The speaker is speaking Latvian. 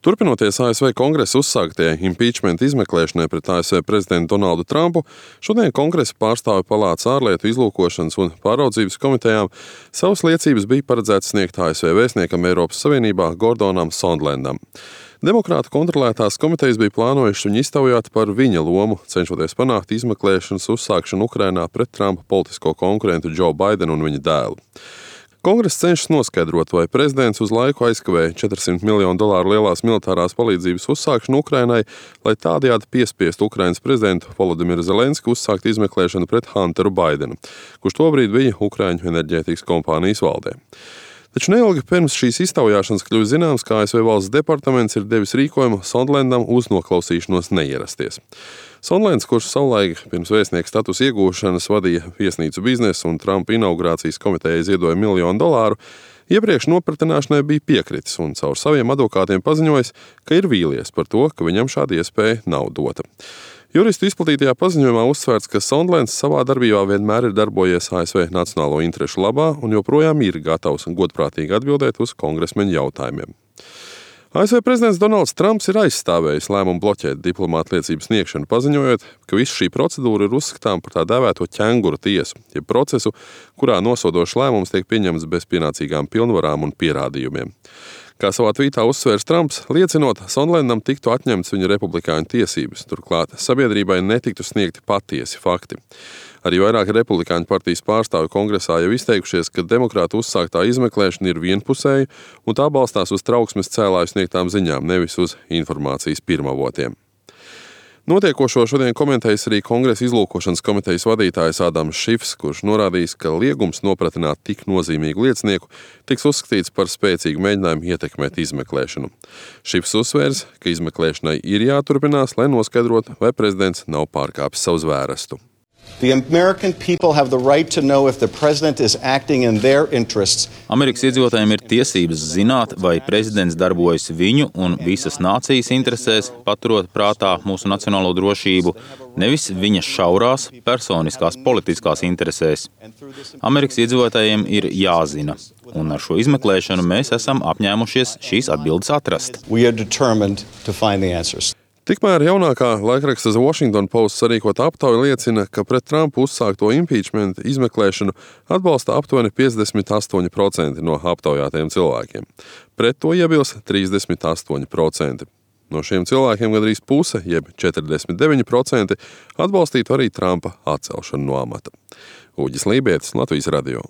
Turpinoties ASV kongresa uzsāktie impeachment izmeklēšanai pret ASV prezidentu Donaldu Trumpu, šodien kongresa pārstāvju palātas ārlietu izlūkošanas un pāraudzības komitejām savas liecības bija paredzēts sniegt ASV vēstniekam Eiropas Savienībā Gordonam Sondlandam. Demokrātu kontrolētās komitejas bija plānojušas viņu iztaujāt par viņa lomu, cenšoties panākt izmeklēšanas uzsākšanu Ukrainā pret Trumpa politisko konkurentu Joe Bidenu un viņa dēlu. Kongress cenšas noskaidrot, vai prezidents uz laiku aizkavēja $400 miljonu lielās militārās palīdzības uzsākšanu Ukrainai, lai tādējādi piespiestu Ukrainas prezidentu Volodimiru Zelenski uzsākt izmeklēšanu pret Hunteru Bidenu, kurš tobrīd bija Ukraiņu enerģētikas kompānijas valdē. Taču neilgi pirms šīs iztaujāšanas kļuva zināms, ka ASV valsts departaments ir devis rīkojumu Sondlandam uz noklausīšanos neierasties. Sondlands, kurš savulaik pirms vēstnieka statusa iegūšanas vadīja viesnīcu biznesu un Trumpa inaugurācijas komitejai ziedoja $1 miljonu, iepriekš nopratināšanai bija piekritis un caur saviem advokātiem paziņojis, ka ir vīlies par to, ka viņam šāda iespēja nav dota. Juristu izplatītajā paziņojumā uzsvērts, ka Sondlands savā darbībā vienmēr ir darbojies ASV nacionālo interešu labā un joprojām ir gatavs un godprātīgi atbildēt uz kongresmeņu jautājumiem. ASV prezidents Donalds Trumps ir aizstāvējis lēmumu bloķēt diplomāta liecības sniegšanu, paziņojot, ka visa šī procedūra ir uzskatām par tā dēvēto ķenguru tiesu, jeb procesu, kurā nosodošs lēmums tiek pieņemts bez pienācīgām pilnvarām un pierādījumiem. Kā savā tvītā uzsvērs Trumps, liecinot, Sondlandam tiktu atņemts viņa republikāņu tiesības, turklāt sabiedrībai netiktu sniegti patiesi fakti. Arī vairāki republikāņu partijas pārstāvji kongresā jau izteikušies, ka demokrātu uzsāktā izmeklēšana ir vienpusēja un tā balstās uz trauksmes cēlāju sniegtām ziņām, nevis uz informācijas pirmavotiem. Notiekošo šodien komentējis arī kongresa izlūkošanas komitejas vadītājs Ādams Šifs, kurš norādījis, ka liegums nopratināt tik nozīmīgu liecinieku tiks uzskatīts par spēcīgu mēģinājumu ietekmēt izmeklēšanu. Šifs uzsvērs, ka izmeklēšanai ir jāturpinās, lai noskaidrotu, vai prezidents nav pārkāpis savu zvērestu. The American people have the right to know if the president is acting in their interests. Amerikas iedzīvotājiem ir tiesības zināt, vai prezidents darbojas viņu un visas nācijas interesēs, paturot prātā mūsu nacionālo drošību, nevis viņa šaurās, personiskās, politiskās interesēs. Amerikas iedzīvotājiem ir jāzina, un ar šo izmeklēšanu mēs esam apņēmušies šīs atbildes atrast. We are determined to find the answers. Tikmēr jaunākā laikraksta The Washington Post sarīkota aptauja liecina, ka pret Trumpu uzsākto impeachment izmeklēšanu atbalsta aptuveni 58% no aptaujātajiem cilvēkiem. Pret to iebilst 38%. No šiem cilvēkiem gandrīz puse, jeb 49%, atbalstītu arī Trumpa atcelšanu no amata. Uģis Lībietis, Latvijas radio.